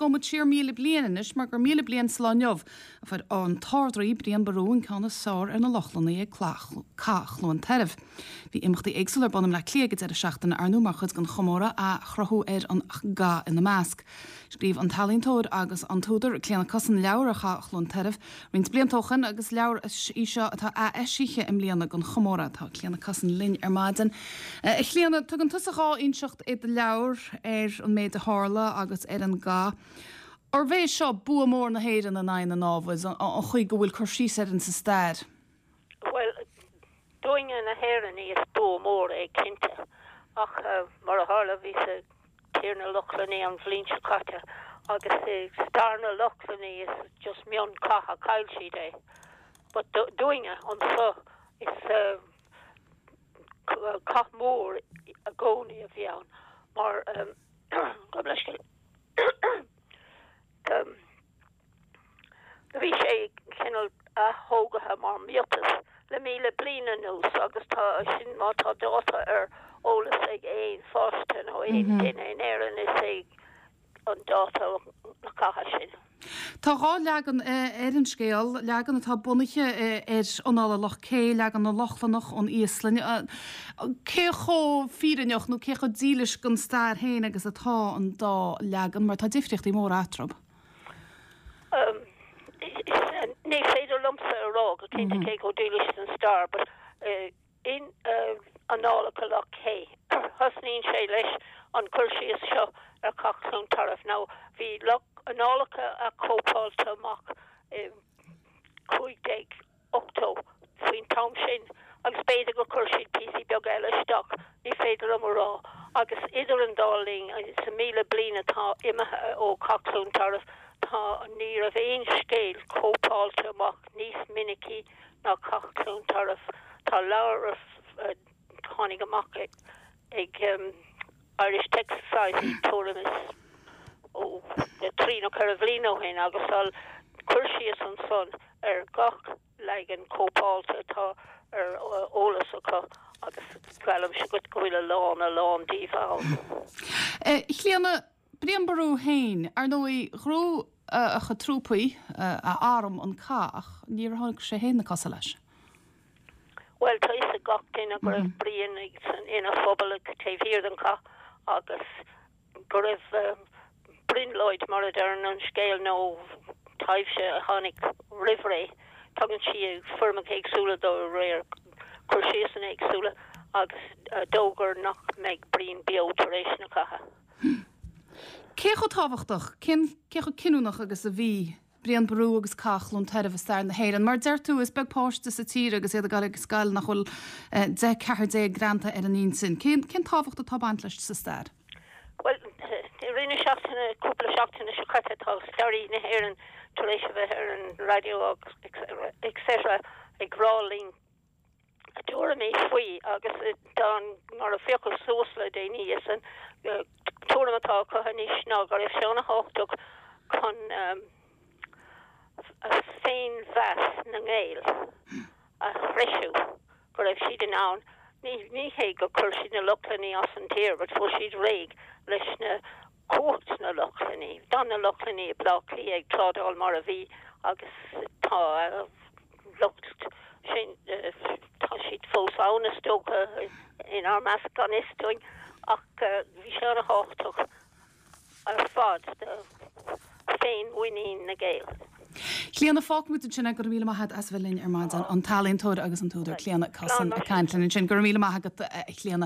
gabhfaidh muid siar 1,000 bliain anois mar gur 1,000 bliain sa lá inniu a fuair an tArd-Rí Brian Boru an ceann is fearr ar na Lochlannaigh ag Cath Chluain Tairbh. Bhí imeachtaí éagsúla ar bun i mBleá Cliath ag an deireadh seachtaine, ar ndóigh, mar chuid den chomóradh, athchruthú ar an gcath ina measc. Scríobh an t-ealaíontóir agus an t-údar Clíona Cussen leabhar ar Chath Chluain Tairbh roinnt blianta ó shin agus leabhar í seo atá ath-eisithe i mbliana don chomóradh. Tá Clíona Cussen linn ar maidin. A Chlíona, tugann tusa dhá inseacht i do leabhar ar an méid a tharla agus ar an gcath. Arbh é seo bua mór na hÉireann in aghaidh na námhad, an chaoi go bhfuil cur síos air insa stair? Bhuel, dúinne na hÉireannaigh is bua mór é cinnte. Ach mar a tharla bhíos i dtír na Lochlannaigh an bhliain seo caite agus i stair na Lochlannaigh is just mion-chath a chaill siad é. But dúinne anso is cath mór i gcónaí a bhí ann mar gabh mo leithscéal. Bhí sé cineál ath-thógaithe mar miotas le 1,000 bliain anuas agus tá sin má tá dáta ar eolas ag aon pháiste nó aon duine in Éirinn is é an dáta na catha sin. Tá dhá leagan ar an scéal, leagan atá bunaithe ar Annála Loch Cé, leagan na Lochlannach ón Íoslainn. Cé chomh fírinneach nó cé chomh dílis don stair féin agus atá an dá leagan, mar tá difríochtaí móra eatarthu? Ní féidir liomsa a rá go cinnte cé chomh dílis don stair, but in Annálacha Loch Cé, thosnaíonn sé leis an cur síos seo ar Chath Chluain Tarbh. Now, bhí Annálacha athchóipeáilte amach i 1580 faoin t-am sin agus b'fhéidir gur chuir siad píosaí beaga eile isteach, ní féidir liom a rá. Agus idir an dá linn, sa 1,000 bliain atá imithe ó Chath Chluain Tarbh, tá, ní raibh aon scéal cóipeáilte amach níos minicí ná Cath Chluain Tarbh. Tá leabhar a tháinig amach ag Irish Text Society tuairim is ó trí nó ceithre bhliain ó shin agus tá cur síos ansan ar gach leagan cóipeáilte atá ar eolas acu agus geallaimse dhuit go bhfuil a lán, a lán díobh ann. A Chlíona, Brian Boru féin, ar ndóigh, ghnóthaigh a chuid trúpaí, a arm, an cath ach níor thug sé féin na cosa leis. Bhuel, tá fhios ag gach duine go raibh Brian ina phuball taobh thiar den chath agus go raibh brionglóid, mar a deireann an scéal, nó taibhse a tháinig roimh ré. Tugann sí foirmeacha éagsúla dó de réir cur síosanna éagsúla agus a d'fhógair nach mbeidh Brian beo tar éis na catha. Cé chomh tábhachtach, cén, cé chomh cinniúnach agus a bhí Brian Boru agus Cath Chluain Tairbh i stair na hÉireann? Mar a deir tú, is beag páiste sa tír agus iad ag dul ag scoil nach bhfuil 10, 14 greanta ar a n-intinn. Cén, cén tábhacht atá ag baint leis sa stair? Bhuel, i rith na seachtaine, cúpla seachtaine seo caite, tá staraí na hÉireann tar éis a bheith ar an raidió agus etc. ag rá linn a dtuairimí faoi agus tá an, mar a féachadh suas le déanaí, is an tuairim atá acu anois ná go raibh sé ana-thábhachtach chun féinmheas na nGael a threisiú, go raibh siad in ann, ní, ní hé gur chuir siad na Lochlannaigh as an tír but fuair siad réidh leis na cumhacht na Lochlannaigh. D'fhan na Lochlannaigh i Bleá Cliath ag trádáil mar a bhí agus tá a lucht sin, tá siad fós ann is dócha inár measc gan fhios dúinn ach bhí sé ana-thábhachtach ar fad do féinmhuinín na Gael. Clíona, fágfaimid ansin é. Go raibh míle maith agat as a bheith linn ar maidin. An t-ealaíontóir agus an t-údar Clíona Cussen ag caint linn ansin. Go raibh míle maith agat, a Chlíona.